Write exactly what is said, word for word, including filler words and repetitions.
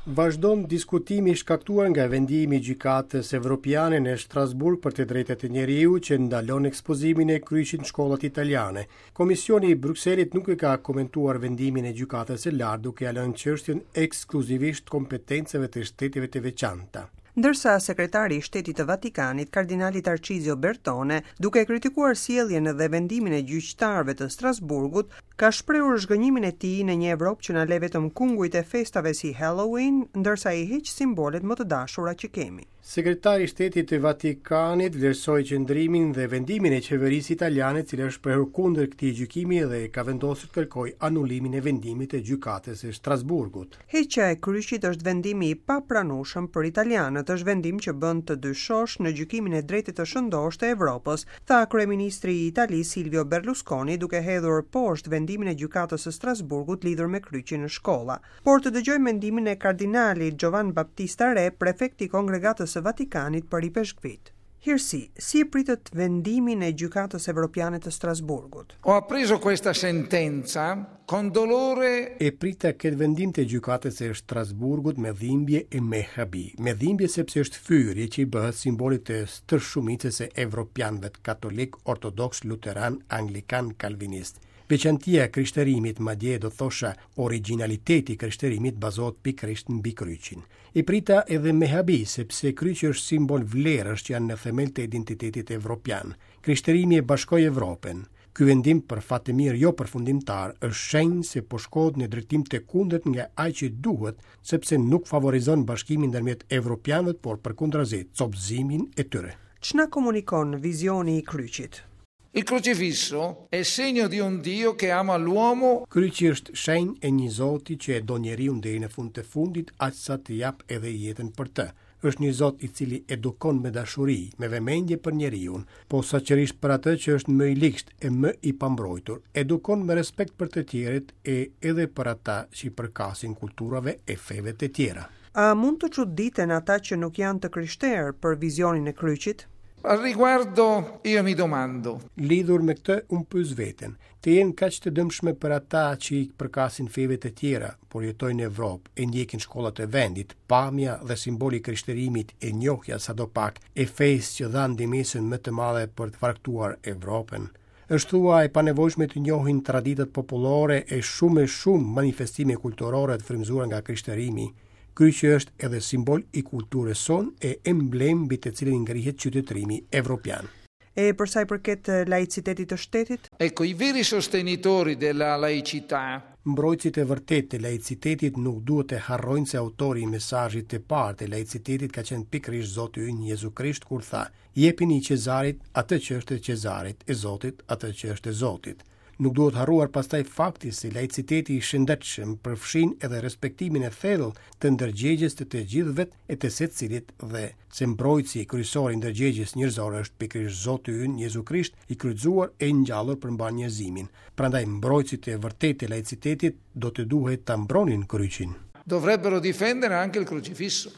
Vazhdon diskutimi i shkaktuar nga vendimi i Gjykatës Evropiane në Strasburg për të drejtat e njeriut që ndalon ekspozimin e kryqit në shkollat italiane. Komisioni i Brukselit nuk e ka komentuar vendimin e Gjykatës së Lartë, duke ia lënë çështjen ekskluzivisht kompetencave të shteteve të veçanta. Ndërsa sekretari i Shtetit të Vatikanit, kardinali Tarcizio Bertone, duke kritikuar sjelljen dhe vendimin e gjyqtarëve të Strasburgut, ka shprehur zhgënjimin e tij në një Evropë që na le vetëm kungujt e festave si Halloween, ndërsa i heq simbolet më të dashura që kemi. Sekretari i Shtetit të Vatikanit vlerësoi qëndrimin dhe vendimin e qeverisë italiane, e cila është shprehur kundër këtij gjykimi dhe ka vendosur të kërkojë anulimin e vendimit të Gjykatës së Strasburgut. Heqja e kryqit është vendimi i papranueshëm për italianët, është vendim që bën të dyshosh në gjykimin e drejtë të shëndoshë të Evropës, tha kryeministri i Italisë Silvio Berlusconi, duke hedhur poshtë vendimin e Gjykatës së Strasburgut lidhur me kryqin në shkolla. Por të dëgjojmë mendimin e kardinalit Giovan Battista Re, prefekti i Kongregatës së Vatikanit për Ipeshkvit. Hirësi, si e pritët vendimin e Gjykatës Evropiane të Strasburgut? Ho appreso questa sentenza con dolore. E prita këtë vendim të Gjykatës së Strasburgut me dhimbje e me habi. Me dhimbje, sepse është fyerje që i bëhet simbolit të stërshumicës së evropianëve katolik, ortodoks, luteran, anglikan, kalvinist. Veçantia e krishterimit, madje do thosha originaliteti i krishterimit, bazohet pikërisht mbi kryqin. E prita edhe me habi, sepse kryqi është simbol vlerësh që janë në themel të identitetit evropian. Krishterimi e bashkoi Evropën. Ky vendim, për fat të mirë jo përfundimtar, është shenjë se po shkohet në drejtim të kundërt nga ai që duhet, sepse nuk favorizon bashkimin ndërmjet evropianëve, por përkundrazi, copëzimin e tyre. Ç'na komunikon vizioni i kryqit? Il crocifisso è segno di un Dio che ama l'uomo. Kryqi është shenjë e një Zoti që e do njeriun deri në fund të fundit, aq sa të jap edhe jetën për të. Është një Zot i cili edukon me dashuri, me vëmendje për njeriun, posaçërisht për atë që është më i ligsht e më i pambrojtur. Edukon me respekt për të tjerët e edhe për ata që i përkasin kulturave e feve të tjera. A mund të çuditen ata që nuk janë të krishterë për vizionin e kryqit? Al riguardo io mi domando. Lidhur me këtë unë pyes veten, të jenë kaq të dëmshme për ata që i përkasin feve të tjera, por jetojnë në Evropë e ndjekin shkollat e vendit, pamja dhe simboli i krishterimit e njohja sadopak e fesë që dha ndihmesën më të madhe për të farktuar Evropën. Është thua e panevojshme të njohin traditat popullore e shumë e shumë manifestime kulturore të frymëzuara nga krishterimi. Kryqi është edhe simbol i kulturës sonë e emblem mbi të cilin ngrihet qytetërimi evropian. E për sa i përket laicitetit të shtetit? Ecco, i veri sostenitori della laicità. Mbrojtësit e vërtetë të laicitetit nuk duhet të harrojnë se autori i mesazhit të parë të laicitetit ka qenë pikërisht Zoti ynë Jezu Krisht, kur tha: "Jepini Cezarit atë që është e Cezarit, e Zotit atë që është e Zotit." Nuk duhet harruar pastaj fakti se laiciteti i shëndetshëm përfshin edhe respektimin e thellë të ndërgjegjes të të gjithëve e të secilit dhe se mbrojtësi kryesor i ndërgjegjes njerëzore është pikërisht Zoti ynë Jezu Krisht, i kryqëzuar e i ngjallur për mbarë njerëzimin. Prandaj mbrojtësit e vërtetë të laicitetit do të duhet ta mbronin kryqin. Dovrebbero difendere anche il crocifisso.